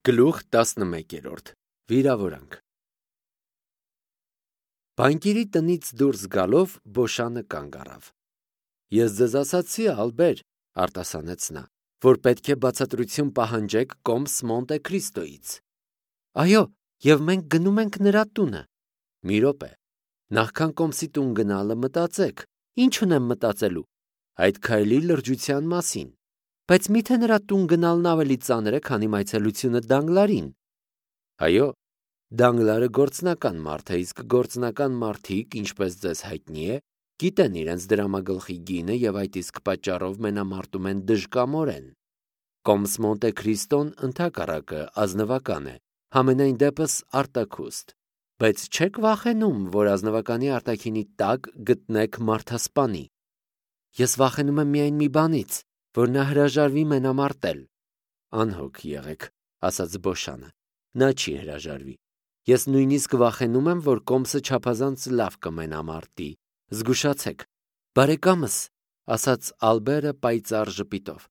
Գլուխ 11 Վիրավորանք Բանկիրի տնից դուրս գալով Բոշանը կանգ առավ։ Ես ձեզ ասացի, Ալբեր, արտասանեց նա, որ պետք է բացատրություն պահանջեք կոմս Մոնտե Քրիստոյից։ Այո, եւ մենք գնում ենք նրա տունը։ Մի րոպե, նախքան կոմսի տուն գնալը մտածեք, ինչ ունեմ մտածելու, այդ քայլի լրջության մասին, բայց միթե նրա տուն գնալն ավելի ծանր է, քանի այցելությունը Դանգլարին։ Այո, Դանգլարը գործնական մարդ է, իսկ գործնական մարդիկ, ինչպես ձեզ հայտնի է, գիտեն իրենց դրամագլխի գինը եւ այդ իսկ պատճառով մենամարտում են դժկամորեն։ Կոմս Մոնտե Քրիստոն ընդհակառակը ազնվական է, համենայն դեպս արտաքուստ, բայց չեք վախենում, որ ազնվականի արտաքինի տակ գտնեք մարդասպանի։ Ես վախենում եմ միայն մի բանից, որ նա հրաժարվի մենամարտել։ Անհոգ եղեք, ասաց Բոշանը, նա չի հրաժարվի։ Ես նույնիսկ վախենում եմ, որ կոմսը չափազանց լավ կմենամարտի։ Զգուշացեք, բարեկամս, ասաց Ալբերը պայծառ ժպիտով։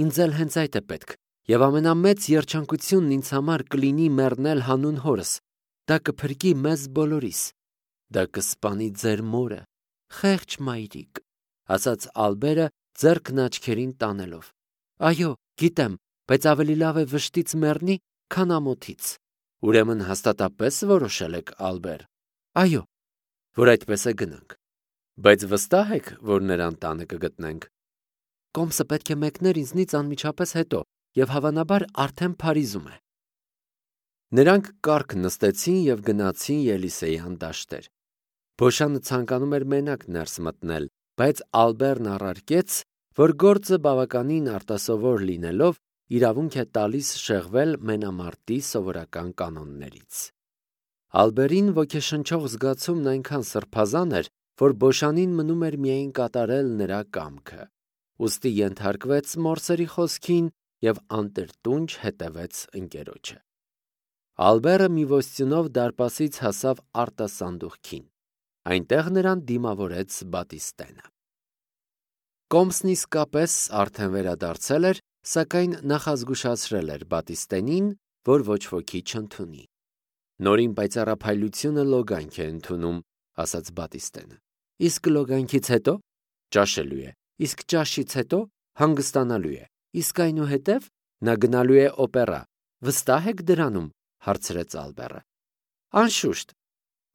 Ինձ էլ հենց այդ է պետք, եւ ամենամեծ երջանկությունն ինձ համար կլինի մեռնել հանուն հորս։ Դա կփրկի մեզ բոլորիս։ Դա կսպանի ձեր մորը, խեղճ մայրիկ, ասաց Ալբերը ձեռքն աչքերին տանելով։ Այո, գիտեմ, բայց ավելի լավ է վշտից մեռնի, քան ամոթից։ Ուրեմն հաստատապես որոշել եք, Ալբեր։ Այո, որ այդպես է գնանք։ Բայց վստահ եք, որ նրան տանը կգտնենք։ Կոմսը պետք է մեկներ ինձնից անմիջապես հետո, եւ հավանաբար արդեն Փարիզում է։ Նրանք կառք նստեցին եւ գնացին Ելիսեյան դաշտեր։ Բոշանը ցանկանում էր մենակ ներս մտնել, բայց Ալբերն առարկեց, որ գործը բավականին արտասովոր լինելով իրավունք է տալիս շեղվել մենամարտի սովորական կանոններից։ Ալբերին ոգեշնչող զգացումն այնքան սրբազան էր, որ Բոշանին մնում էր միայն կատարել նրա կամքը, ուստի ենթարկվեց մորսերի խոսքին եւ անտրտունջ հետևեց ընկերոջը։ Ալբերը մի ոստյունով դարպասից հասավ արտասանդուղքին։ Այնտեղ նրան դիմավորեց Բատիստենը։ Կոմսն իսկապես արդեն վերադարձել էր, սակայն նախազգուշացրել էր Բատիստենին, որ ոչ ոքի չընդունի։ Նորին պայծառափայլությունը լոգանք է ընդունում, ասաց Բատիստենը։ Իսկ լոգանքից հետո ճաշելու է, իսկ ճաշից հետո հանգստանալու է, իսկ այնուհետև նա գնալու է օպերա։ Վստահ եք դրանում, հարցրեց Ալբերը։ Անշուշտ,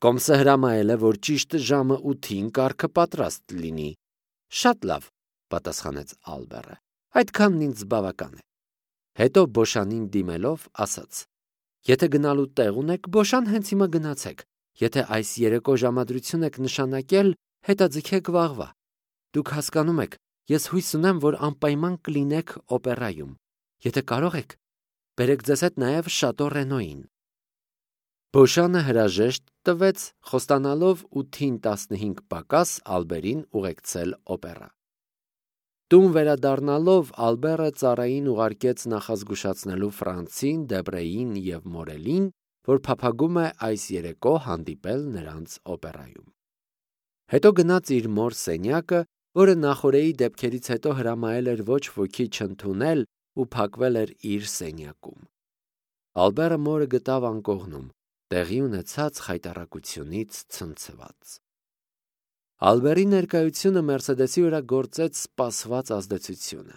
կոմսը հրամայել է, որ ճիշտ ժամը 8-ին կառքը պատրաստ լինի։ Շատ լավ, պատասխանեց Ալբերը։ Այդքանն ինձ բավական է։ Հետո Բոշանին դիմելով ասաց. Եթե գնալու տեղ ունեք, Բոշան, հենց հիմա գնացեք։ Եթե այս երեկո ժամադրություն եք նշանակել, հետաձգեք վաղվա։ Դուք հասկանում եք, ես հույս ունեմ, որ անպայման կլինեք օպերայում։ Եթե կարող եք, բերեք ձեզ հետ նաև Շատո Ռենոյին։ Բոշանը հրաժեշտ տվեց, խոստանալով 8-ին 15 պակաս Ալբերին ուղեկցել օպերա։ Տուն վերադառնալով Ալբերը ծառային ուղարկեց նախազգուշացնելու Ֆրանցին, Դեբրեին եւ Մորելին, որ փափագում է այս երեկո հանդիպել նրանց օպերայում։ Հետո գնաց իր մոր սենյակը, որը նախորեի դեպքերից հետո հրամայել էր ոչ ոքի չընդունել ու փակվել էր իր սենյակում։ Ալբերը մորը գտավ անկողնում, տեղի ունեցած խայտառակությունից ցնցված։ Ալբերի ներկայությունը Մերսեդեսի վրա գործեց սպասված ազդեցությունը։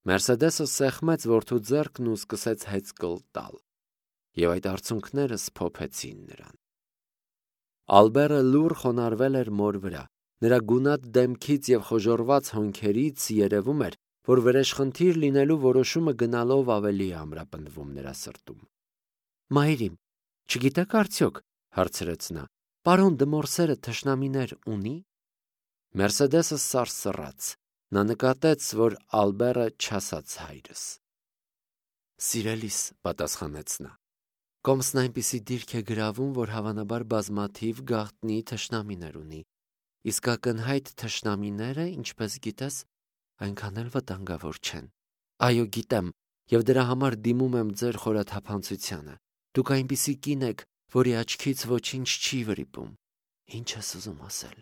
Մերսեդեսը սեղմեց որդու ձեռքն ու սկսեց հեծկլ տալ, եւ այդ արցունքները սփոփեցին նրան։ Ալբերը լուռ խոնարհվել էր մոր վրա։ Նրա գունատ դեմքից եւ խոժոռված հոնքերից երևում էր, որ վրեժխնդիր լինելու որոշումը գնալով ավելի է ամրապնդվում նրա սրտում։ Մայրիմ, չգիտեք արդյոք, հարցրեց նա, պարոն Դմորսերը թշնամիներ ունի։ Մերսեդեսը սարսռաց։ Նա նկատեց, որ Ալբերը չասաց հայրս։ Սիրելիս, պատասխանեց նա, կոմսն այնպիսի դիրք է գրավում, որ հավանաբար բազմաթիվ գաղտնի թշնամիներ ունի, իսկ ակնհայտ թշնամիները, ինչպես գիտես, այնքան էլ վտանգավոր չեն։ Այո, գիտեմ, եւ դրա համար դիմում եմ ձեր խորաթափանցությանը։ Դուք այնպիսի կին եք, որի աչքից ոչինչ չի վրիպում։ Ինչ ես ուզում ասել։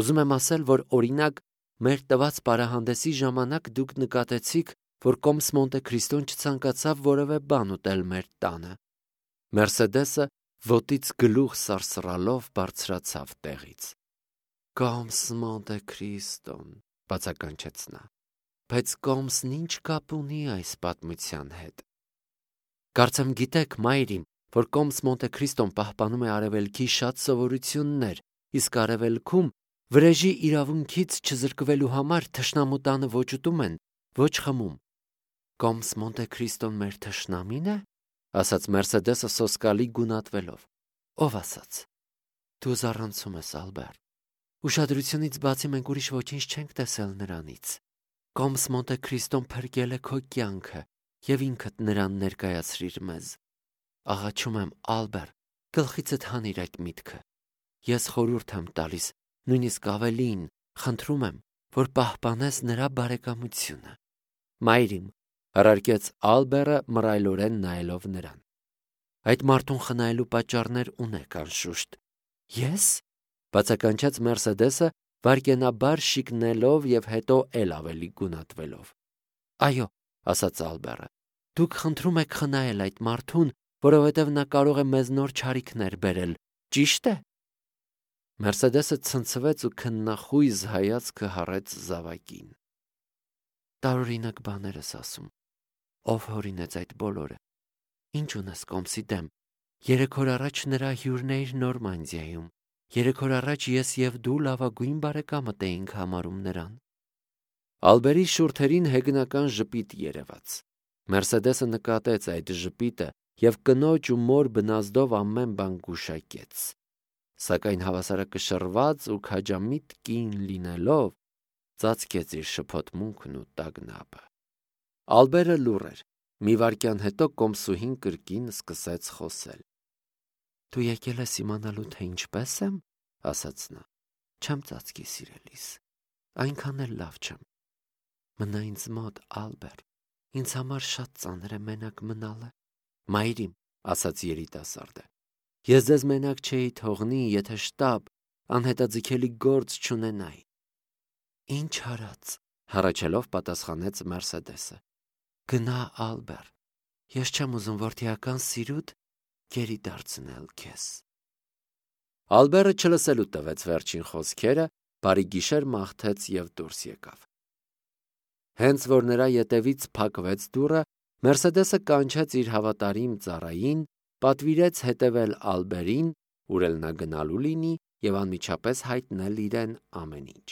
Ուզում եմ ասել, որ օրինակ մեր տված պարահանդեսի ժամանակ դուք նկատեցիք, որ կոմս Մոնտե Քրիստոն չցանկացավ որևէ բան ուտել մեր տանը։ Մերսեդեսը ոտից գլուխ սարսռալով բարձրացավ տեղից։ «Կոմս Մոնտե Քրիստոն», բացականչեց նա, բայց կոմսն ինչ կապ ունի այս պատմության հետ։ Կարծեմ գիտեք, մայրիմ, որ կոմս Մոնտե Քրիստոն պահպանում է արևելքի շատ սովորություններ, իսկ արևելքում վրեժի իրավունքից չզրկվելու համար թշնամու տանը ոչ ուտում են, ոչ խմում։ «Կոմս Մոնտե Քրիստոն մեր թշնամի՞ն է», ասաց Մերսեդեսը սոսկալի գունատվելով։ Ով ասաց։ Դու զառանցում ես, Ալբեր։ Ուշադրությունից բացի մենք ուրիշ ոչինչ չենք տեսել նրանից։ Կոմս Մոնտե Քրիստոն փրկել է քո կյանքը և ինքդ նրան ներկայացրիր մեզ։ Աղաչում եմ, Ալբեր, գլխիցդ հանիր այդ միտքը։ Ես խորհուրդ եմ տալիս, նույնիսկ ավելին, խնդրում եմ, որ պահպանես նրա բարեկամությունը։ Մայրիմ, առարկեց Ալբերը մռայլորեն նայելով նրան։ Այդ մարդուն խնայելու պատճառներ ունեք, անշուշտ։ Ես, բացականչեց Մերսեդեսը, վայրկենաբար շիկնելով և հետո էլ ավելի գունատվելով։ Այո, ասաց Ալբերը, դուք խնդրում եք խնայել այդ մարդուն, որովհետև նա կարող է մեզ նոր չարիքներ բերել, ճիշտ է։ Մերսեդեսը ցնցվեց ու քննախույզ հայացքը հառեց զավակին։ Տարօրինակ բաներ ես ասում։ Ով հորինեց այդ բոլորը։ Ինչ ունես կոմսի դեմ։ 3 օր առաջ նրա հյուրն էիր Նորմանդիայում։ 3 օր առաջ ես և դու լավագույն բարեկամդ էինք համարում նրան։ Ալբերի շուրթերին հեգնական ժպիտ երևաց։ Մերսեդեսը նկատեց այդ ժպիտը և կնոջ ու մոր բնազդով ամեն բան գուշակեց։ Սակայն հավասարակշռված ու քաջամիտ կին լինելով, ծածկեց իր շփոթմունքն ու տագնապը։ Ալբերը լուռ էր։ Մի վայրկյան հետո կոմսուհին կրկին սկսեց խոսել։ Դու եկել ես իմանալու, թե ինչպես եմ, ասաց նա։ Չեմ ծածկի, սիրելիս, այնքան էլ լավ չեմ։ Մնա ինձ մոտ, Ալբեր, ինձ համար շատ ծանր է մենակ մնալը։ Մայրիմ, ասաց երիտասարդը, ես ձեզ մենակ չէի թողնի, եթե շտապ, անհետաձգելի գործ չունենայի։ Ինչ արած, հառաչելով պատասխանեց Մերսեդեսը։ Գնա, Ալբեր, ես չեմ ուզում որդիական սիրուդ գերի դարձնել քեզ։ Ալբերը չլսելու տվեց վերջին խոսքերը, բարի գիշեր մաղթեց և դուրս եկավ։ Հենց որ նրա ետևից փակվեց դուռը, Մերսեդեսը կանչեց իր հավատարիմ ծառային, պատվիրեց հետևել Ալբերին, ուր էլ նա գնալու լինի, և անմիջապես հայտնել իրեն ամեն ինչ։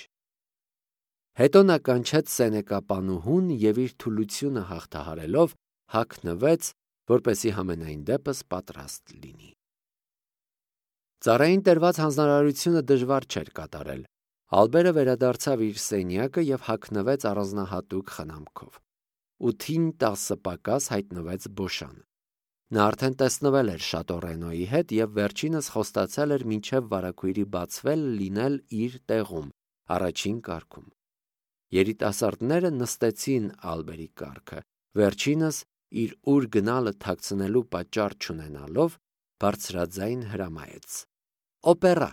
Հետո նա կանչեց սենեկապանուհուն և իր թուլությունը հաղթահարելով հագնվեց, որպեսզի համենայն դեպս պատրաստ լինի։ Ծառային տրված հանձնարարությունը դժվար չէր կատարել։ Ալբերը վերադարձավ իր սենյակը և հագնվեց առանձնահատուկ խնամքով։ 8-ին 10 պակաս հայտնվեց Բոշանը։ Նա արդեն տեսնվել էր Շատո Ռենոյի հետ և վերջինս խոստացել էր մինչև վարագույրի բացվել լինել իր տեղում, առաջին կարգում։ Երիտասարդները նստեցին Ալբերի կառքը, վերջինս իր ուր գնալը թաքցնելու պատճառ չունենալով բարձրաձայն հրամայեց. Օպերա։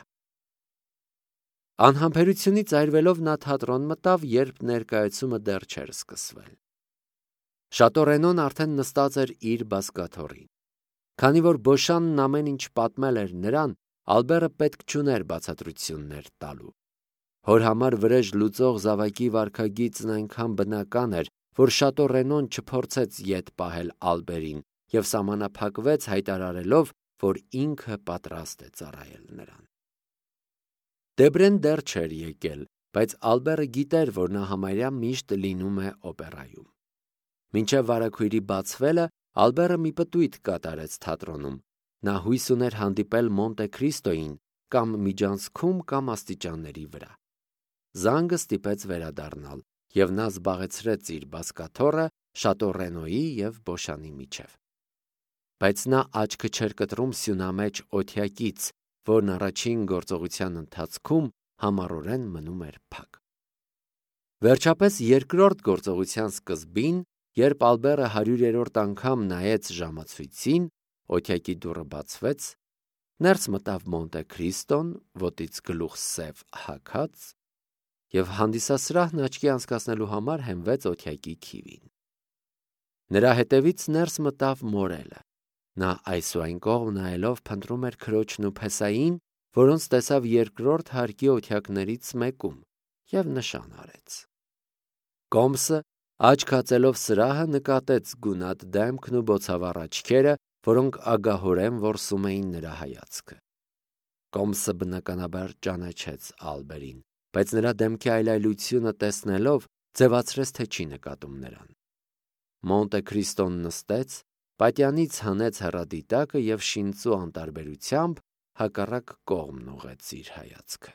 Անհամբերությունից այրվելով նա թատրոն մտավ, երբ ներկայացումը դեռ չէր սկսվել։ Շատո Ռենոն արդեն նստած էր իր բազկաթոռին։ Քանի որ Բոշանն ամեն ինչ պատմել էր նրան, Ալբերը պետք չուներ բացատրություններ տալու։ Հոր համար վրեժ լուծող զավակի վարքագիծն այնքան բնական էր, որ Շատո Ռենոն չփորձեց ետ պահել Ալբերին և սահմանափակվեց հայտարարելով, որ ինքը պատրաստ է ծառայել նրան։ Դեբրեն դեռ չէր եկել, բայց Ալբերը գիտեր, որ նա համարյա միշտ լինում է օպերայում։ Մինչև վարագույրի բացվելը Ալբերը մի պտույտ կատարեց թատրոնում։ Նա հույս ուներ հանդիպել Մոնտե Քրիստոյին կամ միջանցքում կամ աստիճանների վրա։ Զանգը ստիպեց վերադառնալ, և նա զբաղեցրեց իր բազկաթոռը Շատո Ռենոյի և Բոշանի միջև։ Բայց նա աչքը չէր կտրում սյունամեջ օթյակից, որն առաջին գործողության ընթացքում համառորեն մնում էր փակ։ Վերջապես երկրորդ գործողության սկզբին, երբ Ալբերը 100-րդ անգամ նայեց ժամացույցին, օթյակի դուռը բացվեց, ներս մտավ Մոնտե Քրիստոն, ոտից գլուխ սև հագած, և հանդիսասրահն աչքի անցկացնելու համար հենվեց օթյակի քիվին։ Նրա հետևից ներս մտավ մորելը։ Նա այս ու այն կողմ նայելով փնտրում էր քրոջն ու Փեսային, որոնց տեսավ երկրորդ հարկի օթյակներից մեկում, և նշան արեց։ Կոմսը աչք հացելով սրահը նկատեց գունատ դեմքն ու բոցավառ աչքերը, որոնք ագահորեն որսում էին նրա հայացքը։ Կոմսը բնականաբար ճանաչեց Ալբերին, բայց նրա դեմքի այլայլությունը տեսնելով ձևացրեց, թե չի նկատում նրան։ Մոնտե Քրիստոն նստեց, պատյանից հանեց հեռադիտակը և շինծու անտարբերությամբ հակառակ կողմն ուղղեց իր հայացքը։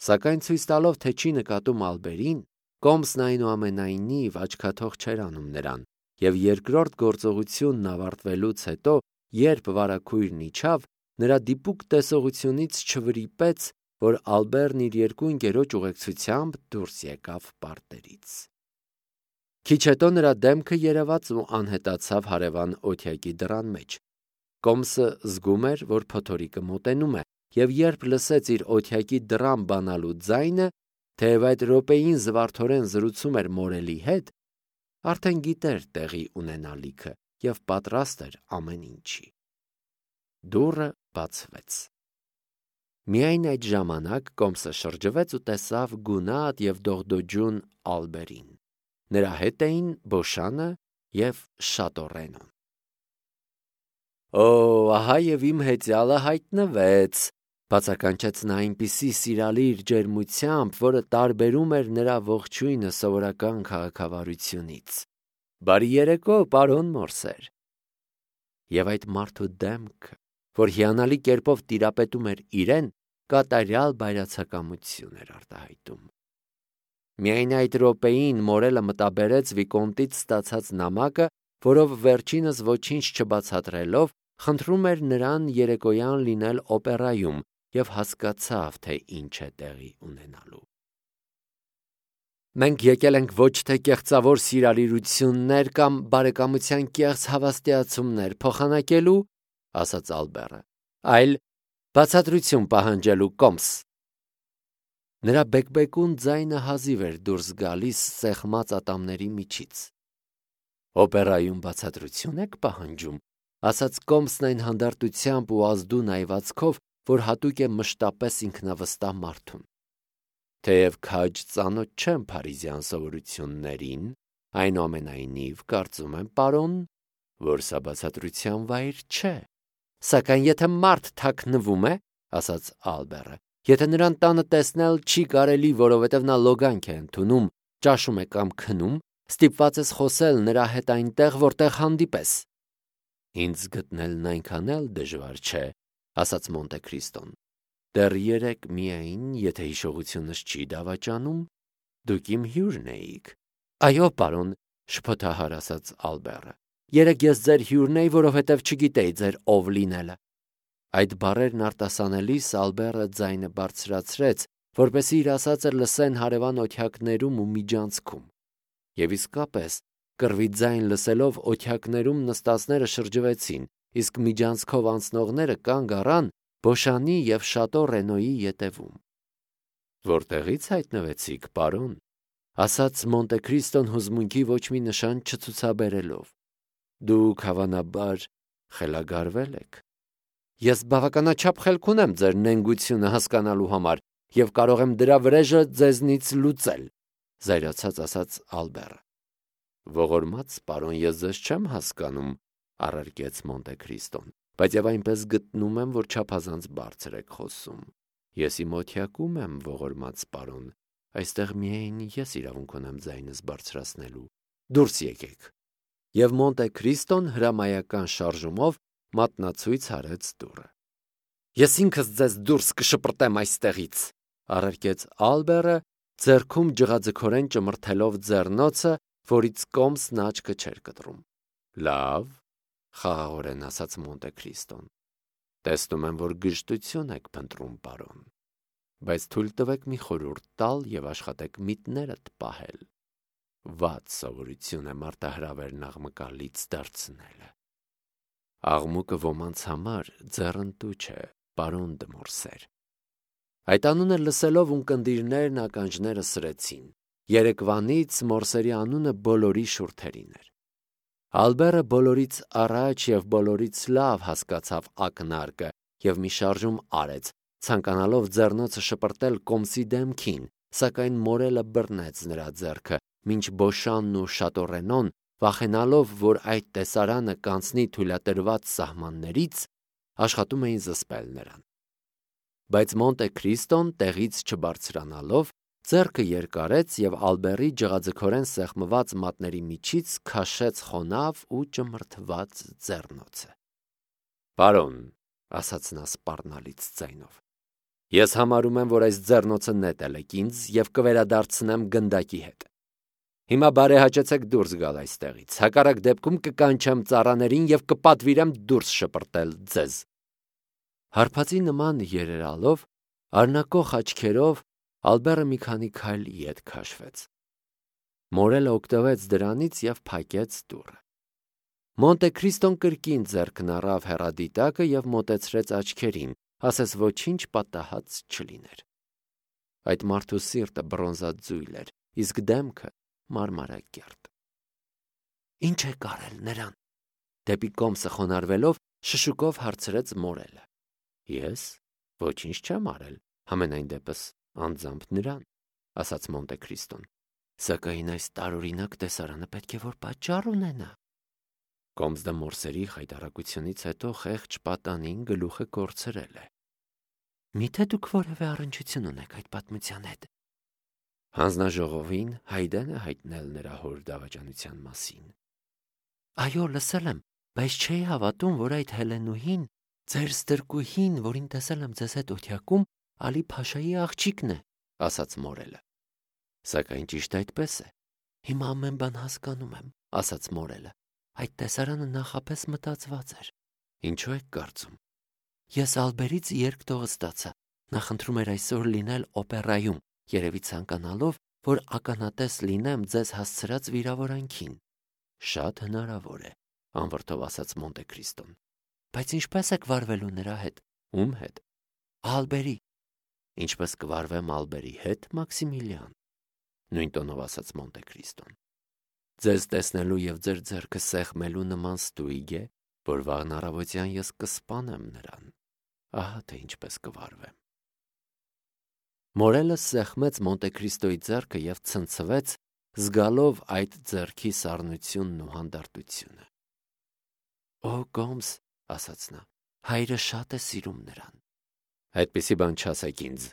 Սակայն ցույց տալով, թե չի նկատում Ալբերին, Կոմսն այնուամենայնիվ աչքաթող չէր անում նրան, և երկրորդ գործողությունն ավարտվելուց հետո, երբ վարագույրն իջավ, նրա դիպուկ տեսողությունից չվրիպեց, որ Ալբերն իր երկու ընկերոջ ուղեկցությամբ դուրս եկավ պարտերից։ Քիչ հետո նրա դեմքը երևաց ու անհետացավ հարևան օթյակի դռան մեջ։ Կոմսը զգում էր, որ փոթորիկը մոտենում է, և երբ լսեց իր օթյակի դռան բանալու ձայնը, թեև այդ րոպեին զվարթորեն զրուցում էր մորելի հետ, արդեն գիտեր տեղի ունենալիքը և պատրաստ էր ամեն ինչի։ Դուռը բացվեց։ Միայն այդ ժամանակ Կոմսը շրջվեց ու տեսավ գունատ և դողդոջուն Ալբերին։ Նրա հետ էին Բոշանը և Շատորենոն։ «Օ, ահա և իմ հեծյալը հայտնվեց», բացականչեց նա այնպիսի սիրալիր ջերմությամբ, որը տարբերում էր նրա ողջույնը սովորական քաղաքավարությունից։ «Բարի երեկո, պարոն Մորսեր»։ Եվ այդ մարդու դեմքը, որ հիանալի կերպով տիրապետում էր իրեն, կատարյալ բայրացակամություն էր արտահայտում։ Միայն այդ րոպեին մորելը մտաբերեց Վիկոնտից ստացած նամակը, որով վերջինս ոչինչ չբացատրելով, խնդրում էր նրան երեկոյան լինել օպերայում, և հասկացավ, թե ինչ է տեղի ունենալու։ «Մենք եկել ենք ոչ թե կեղծավոր սիրալիրություններ կամ բարեկամության կեղծ հավաստիացումներ փոխանակելու, — ասաց Ալբերը, — այլ բացատրություն պահանջելու, Կոմս»։ Նրա բեկբեկուն ձայնը հազիվ էր դուրս գալիս սեղմած ատամների միջից։ «Օպերայում բացատրություն եք պահանջում», — ասաց Կոմսն այն հանդարտությամբ ու ազդու նայվածքով, որ հատուկ է մշտապես ինքնավստահ մարդուն։ «Թեև քաջ ծանոթ չեմ փարիզյան սովորություններին, այնուամենայնիվ կարծում եմ, պարոն, որ սա բացատրության վայր չէ։ Սակայն եթե մարդ թաքնվում է, — ասաց Ալբերը, — եթե նրան տանը տեսնել չի կարելի, որովհետև նա լոգանք է ընդունում, ճաշում է կամ քնում, ստիպված ես խոսել նրա հետ այնտեղ, որտեղ հանդիպես»։ «Ինձ գտնելն այնքան էլ դժվար չէ», — ասաց Մոնտե Քրիստոն։ «Դեռ երեկ միայն, եթե հիշողությունս չի դավաճանում, դուք իմ հյուրն էիք»։ «Այո, պարոն», — շփոթահար ասաց Ալբերը, «երեկ ես ձեր հյուրն էի, որովհետև չգիտեի ձեր ով լինելը»։ Այդ բառերն արտասանելիս Ալբերը ձայնը բարձրացրեց, որպեսզի իր ասածը լսեն հարևան օթյակներում ու միջանցքում։ Եվ իսկապես, կռվի ձայն լսելով օթյակներում նստածները շրջվեցին, իսկ միջանցքով անցնողները կանգ առան Բոշանի և Շատորենոյի ետևում։ «Որտեղից հայտնվեցիք, պարոն», — ասաց Մոնտե Քրիստոն հուզմունքի ոչ մի նշան չցուցաբերելով։ «Դուք հավանաբար խելագարվել եք»։ «Ես բավականաչափ խելք ունեմ ձեր նենգությունը հասկանալու համար և կարող եմ դրա վրեժը ձեզնից լուծել», — զայրացած ասաց Ալբերը։ «Ողորմած պարոն, ես ձեզ չեմ հասկանում», — առարկեց Մոնտե Քրիստոն, «բայց և այնպես գտնում եմ, որ չափազանց բարձր եք խոսում։ Ես իմ օթյակում եմ, ողորմած պարոն, այստեղ միայն ես իրավունք ունեմ ձայնս բարձրացնելու։ Դուրս եկեք»։ Եվ Մոնտե Քրիստոն հրամայական շարժումով մատնացույց արեց դուռը։ «Ես ինքս ձեզ դուրս կշպրտեմ այստեղից», — առարկեց Ալբերը, ձեռքում ջղաձգորեն ճմրթելով ձեռնոցը, որից Կոմսն աչքը չէր կտրում։ «Լավ», — խաղաղորեն ասաց Մոնտե Քրիստոն, «տեսնում եմ, որ գժտություն եք փնտրում, պարոն, բայց թույլ տվեք մի խորհուրդ տալ և աշխատեք միտներդ պահել։ Վատ սովորություն է մարտահրավերն աղմկալից դարձնելը։ Աղմուկը ոմանց համար ձեռնտու չէ, պարոն դը Մորսեր»։ Այդ անունը լսելով ունկնդիրներն ականջները սրեցին։ Երեկվանից Մորսերի անունը բոլորի շուրթերին էր։ Ալբերը բոլորից առաջ և բոլորից լավ հասկացավ ակնարկը և մի շարժում արեց, ցանկանալով ձեռնոցը շպրտել Կոմսի դեմքին, սակայն Մորելը բռնեց նրա ձեռքը, մինչ Բոշանն ու Շատորենոն, վախենալով, որ այդ տեսարանը կանցնի թույլատրված սահմաններից, աշխատում էին զսպել նրան։ Բայց Մոնտե Քրիստոն տեղից չբարձրանալով, ձեռքը երկարեց և Ալբերի ջղաձգորեն սեղմված մատների միջից քաշեց խոնավ ու ճմրթված ձեռնոցը։ «Պարոն», ասաց նա սպառնալից ձայնով, «ես համարում եմ, որ այս ձեռնոցը նետել եք ինձ և կվերադարձնեմ գնդակի հետ։ Հիմա բարեհաճեցեք դուրս գալ այստեղից, հակառակ դեպքում կկանչեմ ծառաներին և կպատվիրեմ դուրս շպրտել ձեզ»։ Հարբածի նման երերալով, արնակող աչքերով Ալբերը մի քանի քայլ ետ քաշվեց։ Մորելը օգտվեց դրանից և փակեց դուռը։ Մոնտե Քրիստոն կրկին ձեռքն առավ հեռադիտակը և մոտեցրեց աչքերին, ասես ոչինչ պատահած չլիներ։ Այդ մարդու սիրտը բրոնզաձույլ էր, իսկ դեմքը մարմարակերտ։ «Ինչ եք արել նրան»։ Դեպի Կոմսը խոնարհվելով շշուկով հարցրեց Մորելը։ «Ես ոչինչ չեմ արել, համենայն դեպս անձամբ նրան», ասաց Մոնտե Քրիստոն։ «Սակայն այս տարօրինակ տեսարանը պետք է որ պատճառ ունենա»։ Կոմս դե Մորսերի խայտառակությունից հետո խեղճ պատանին գլուխը կորցրել է։ «Միթե դուք որևէ առնչություն ունեք այդ պատմության հետ»։ Հանձնաժողովին Հայդեն է հայտնել նրա հոր դավաճանության մասին։ «Այո, լսել եմ, բայց չէի հավատում, որ այդ Հելենուհին, ձեր ստրկուհին, որին տեսել եմ ձեզ հետ օթյակում, Ալի Փաշայի աղջիկն է», ասաց Մորելը։ «Սակայն ճիշտ այդպես է։ Հիմա ամեն բան հասկանում եմ», ասաց Մորելը։ «Այդ տեսարանը նախապես մտածված էր։ Ինչու եք կարծում»։ «Ես Ալբերից երկտողը ստացա։ Նա խնդրում էր այսօր լինել օպերայում, երևի ցանկանալով, որ ականատես լինեմ ձեզ հասցրած վիրավորանքին»։ «Շատ հնարավոր է», անվրդով ասաց Մոնտե Քրիստոն։ «Բայց ինչպես եք վարվելու նրա հետ»։ «Ում հետ»։ «Ալբերի»։ «Ինչպես կվարվեմ Ալբերի հետ, Մաքսիմիլիան», նույն տոնով ասաց Մոնտե Քրիստոն։ «Ձեզ տեսնելու և ձեր ձեռքը սեղմելու նման ստույգ է, որ վաղն առավոտյան ես կսպանեմ նրան։ Ահա թե ինչպես կվարվեմ»։ Մորելը սեղմեց Մոնտե Քրիստոյի ձեռքը և ցնցվեց, զգալով այդ ձեռքի սառնությունն ու հանդարտությունը։ «Օ Կոմս», ասաց նա, «հայրը շատ է սիրում նրան»։ «Այդպիսի բան չասեք ինձ»,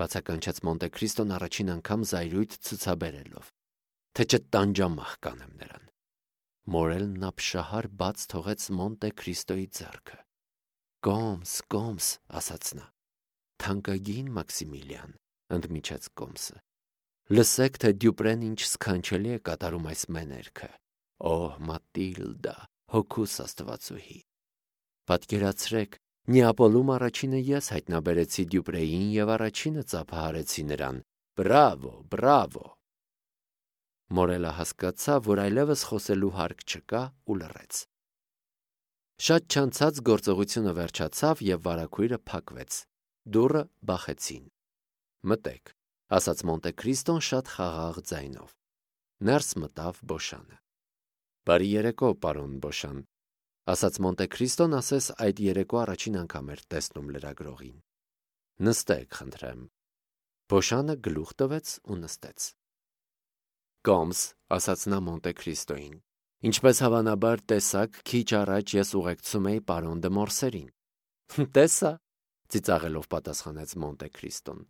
բացականչեց Մոնտե Քրիստոն առաջին անգամ զայրույթ ցուցաբերելով, «թե չտանջամահ կանեմ նրան»։ Մորելն ապշահար բաց թողեց Մոնտե Քրիստոյի ձեռքը։ «Կոմս, Կոմս», ասաց նա։ «Թանկագին Մաքսիմիլիան», ընդմիջեց Կոմսը, «լսեք, թե Դյուպրեն ինչ սքանչելի է կատարում այս մեներքը։ Օ Մատիլդա, հոգուս աստվածուհի։ Պատկերացրեք, Նեապոլում առաջինը ես հայտնաբերեցի Դյուպրեին և առաջինը ծափահարեցի նրան։ Բրավո, բրավո»։ Մորելը հասկացավ, որ այլևս խոսելու հարկ չկա ու լռեց։ Շատ չանցած գործողությունը վերջացավ և վարագույրը փակվեց։ Դուռը բախեցին։ «Մտեք», ասաց Մոնտե Քրիստոն շատ խաղաղ ձայնով։ Ներս մտավ Բոշանը։ «Բարի երեկո, պարոն Բոշան», ասաց Մոնտե Քրիստոն, ասես այդ երեկո առաջին անգամ էր տեսնում լրագրողին։ «Նստեք, խնդրեմ»։ Բոշանը գլուխ տվեց ու նստեց։ «Կոմս», ասաց նա Մոնտե Քրիստոյին, «ինչպես հավանաբար տեսաք, քիչ առաջ ես ուղեկցում էի պարոն դը Մորսերին»։ «Տեսա», ծիծաղելով պատասխանեց Մոնտե Քրիստոն,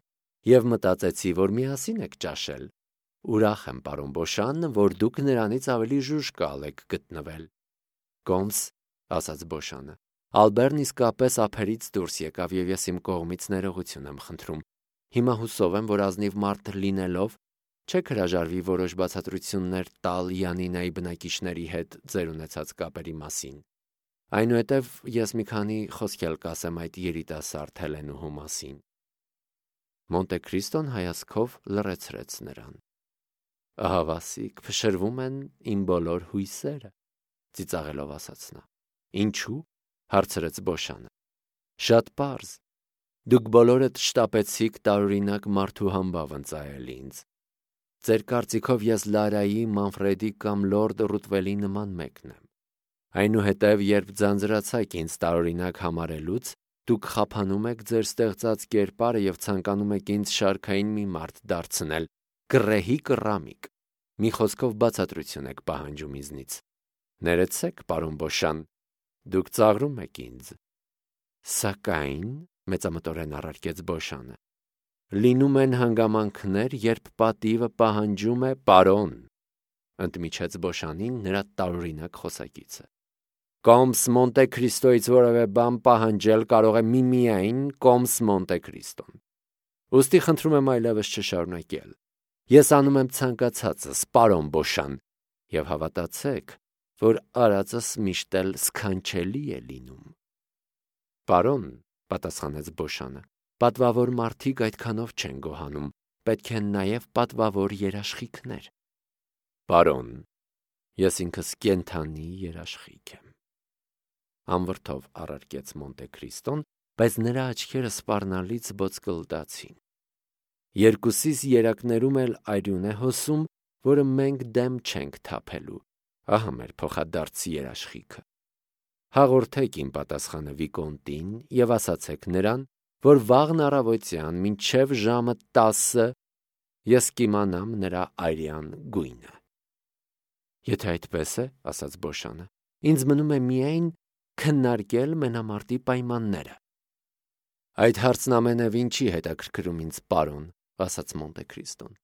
«և մտածեցի, որ միասին եք ճաշել։ Ուրախ եմ, պարոն Բոշան, որ դուք նրանից ավելի ժուժկալ եք գտնվել»։ «Կոմս», ասաց Բոշանը, «Ալբերն իսկապես ափերից դուրս եկավ և ես իմ կողմից ներողություն եմ խնդրում։ Հիմա հուսով եմ, որ ազնիվ մարդ լինելով չեք հրաժարվի որոշ բացատրություններ տալ Յանինայի բնակիչների հետ ձեր ունեցած կապերի մասին։ Այնուհետև ես մի քանի խոսք էլ կասեմ այդ երիտասարդ Հելենուհու մասին»։ Մոնտե Քրիստոն հայացքով լռեցրեց նրան։ «Ահա Վասիկ, փշրվում են իմ բոլոր հույսերը», ծիծաղելով ասաց նա։ «Ինչու՞, հարցրեց Բոշանը։ «Շատ պարզ։ Դուք բոլորդ շտապեցիք տարօրինակ մարդու համբավ ընծայել ինձ։ Ձեր կարծիքով ես Լարայի, Մանֆրեդի կամ լորդ Ռուտվելի նման մեկն եմ։ Այնուհետև, երբ ձանձրացաք ինձ տարօրինակ համարելուց, դուք խափանում եք ձեր ստեղծած կերպարը և ցանկանում եք ինձ շարքային մի մարդ դարձնել, կռեհի կռամիկ։ Մի խոսքով բացատրություն եք պահանջում ինձնից։ Ներեցեք, պարոն Բոշան, դուք ծաղրում եք ինձ։ Սակայն, մեծամտորեն առարկեց Բոշանը, լինում են հանգամանքներ, երբ պատիվը պահանջում է պարոն, ընդմիջեց Բոշանին նրա տարօրինակ խոսակիցը։ Կոմս Մոնտե Քրիստոից որևէ բան պահանջել կարող է միմիայն Կոմս Մոնտե Քրիստոն։ Ուստի խնդրում եմ այլևս չշարունակել։ Ես անում եմ ցանկացածս, պարոն Բոշան, եւ հավատացեք, որ արածս միշտ էլ սքանչելի է լինում։ Պարոն, պատասխանեց Բոշանը, պատվավոր մարդիկ այդքանով չեն գոհանում, պետք են նաև պատվավոր երաշխիքներ։ Պարոն, ես ինքս կենդանի երաշխիք եմ։ Անվրդով առարկեց Մոնտե Քրիստոն, բայց նրա աչքերը սպառնալից ոսկլդացին։ Երկուսիս երակներում էլ արյուն է հոսում, որը մենք դեմ չենք թափելու։ Ահա մեր փոխադարձ երաշխիքը։ Հաղորդեք իմ պատասխանը Վիկոնտին եւ ասացեք նրան, որ վաղն առավոտյան մինչև ժամը 10 ես կիմանամ նրա արյան գույնը։ Եթե այդպես է, ասաց Բոշանը, ինձ մնում է միայն քննարկել մենամարտի պայմանները։ Այդ հարցն ամենևին չի հետաքրքրում ինձ, պարոն, ասաց Մոնտե Քրիստոն։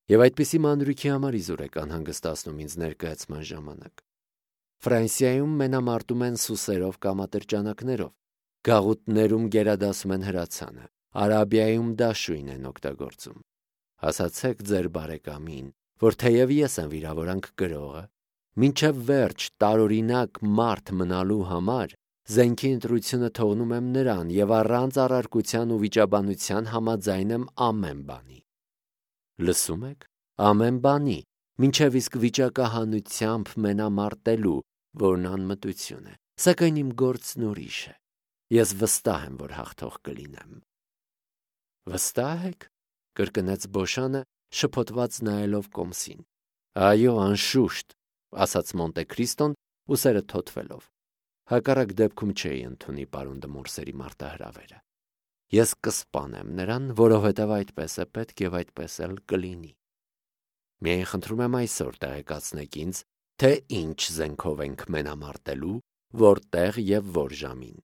Եվ այդպիսի մանրուքի համար իզուր եք անհանգստացնում ինձ ներկայացման ժամանակ։ Ֆրանսիայում մենամարտում են սուսերով կամ ատրճանակներով, գաղութներում գերադասում են հրացանը, Արաբիայում դաշույն են օգտագործում։ Ասացեք ձեր բարեկամին, որ թեև ես եմ վիրավորանք կրողը, մինչև վերջ տարօրինակ մարդ մնալու համար զենքի ընտրությունը թողնում եմ նրան եւ առանց առարկության ու վիճաբանության համաձայն եմ ամեն բանի։ Լսում եք, ամեն բանի, մինչև իսկ վիճակահանությամբ մենամարտելու, որն անմտություն է, սակայն իմ գործն ուրիշ է։ Ես վստահ եմ, որ հաղթող կլինեմ։ Վստահ եք, կրկնեց Բոշանը, շփոթված նայելով Կոմսին։ Այո, անշուշտ, ասաց Մոնտե Քրիստոն, ուսերը թոթվելով։ Հակառակ դեպքում չէի ընդունի պարոն Դմորսերի մարտահրավերը։ Ես կսպանեմ նրան, որովհետև այդպես է պետք եւ այդպես էլ կլինի։ Միայն խնդրում եմ այսօր տեղեկացնեք ինձ, թե ինչ զենքով ենք մենամարտելու, որտեղ եւ որ ժամին։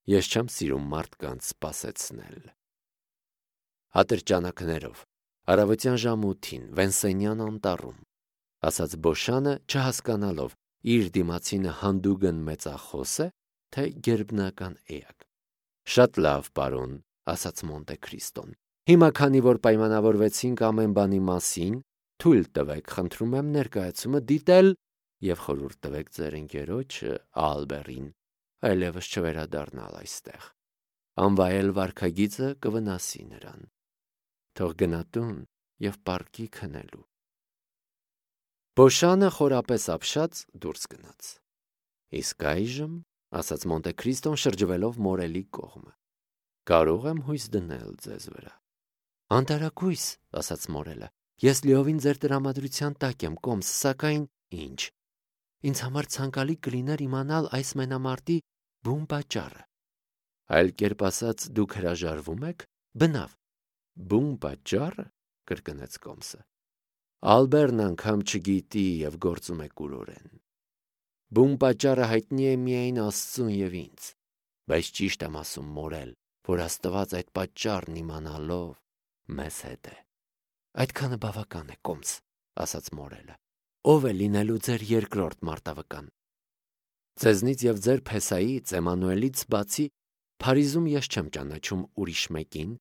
Ես չեմ սիրում մարդկանց սպասեցնել։ Ատրճանակներով, առավոտյան ժամը 8-ին, Վենսենյան անտառում, ասաց Բոշանը, չհասկանալով, իր դիմացինը հանդուգն մեծախոս է, թե գերբնական էակ։ Շատ լավ, պարոն, ասաց Մոնտե Քրիստոն։ Հիմա, քանի որ պայմանավորվեցինք ամեն բանի մասին, թույլ տվեք, խնդրում եմ ներկայացումը դիտել եւ խորհուրդ տվեք ձեր ընկերոջը Ալբերին այլևս չվերադառնալ այստեղ։ Անվայել վարքագիծը կվնասի նրան։ Թող գնա տուն եւ պարկի քնելու։ Բոշանը խորապես ապշած դուրս գնաց։ Իսկ այժմ, ասաց Մոնտե Քրիստոն շրջվելով մորելի կողմը, կարող եմ հույս դնել ձեզ վրա։ Անտարակույս, ասաց մորելը, ես լիովին ձեր տրամադրության տակ եմ, Կոմս, սակայն ինչ։ Ինձ համար ցանկալի կլիներ իմանալ այս մենամարտի բուն պատճառը։ Այլ կերպ ասած, դուք հրաժարվում եք։ Բնավ։ Բուն պատճառը, կրկնեց Կոմսը։ Ալբերն անգամ չգիտի եւ գործում է կուրորեն։ Բուն պատճառը հայտնի է միայն Աստծուն եւ ինձ, բայց ճիշտ եմ ասում, մորել, որ Աստված այդ պատճառն իմանալով մեզ հետ է։ Այդքանը բավական է, Կոմս, ասաց մորելը։ Ով է լինելու ձեր երկրորդ մարտավկան։ Ձեզնից եւ ձեր Փեսայից, Էմանուելից բացի Փարիզում ես չեմ ճանաչում ուրիշ մեկին,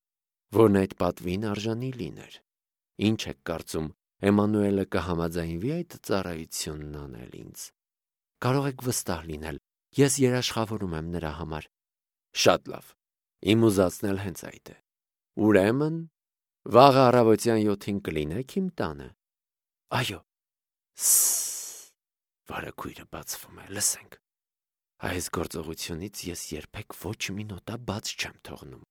որն այդ պատվին արժանի լիներ։ Ինչ եք կարծում, Էմանուելը կհամաձայնվի այդ ծառայությունն անել ինձ։ Կարող եք վստահ լինել, ես երաշխավորում եմ նրա համար։ Շատ լավ, իմ ուզածն էլ հենց այդ է։ Ուրեմն, վաղ առավոտյան 7-ին կլինեք իմ տանը։ Այո։ Վարագույրը բացվում է, լսենք։ Այս գործողությունից ես երբեք ոչ մի նոտա բաց չեմ թողնում։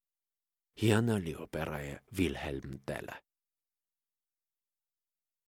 Հիանալի օպերա է Վիլհելմ Տելը։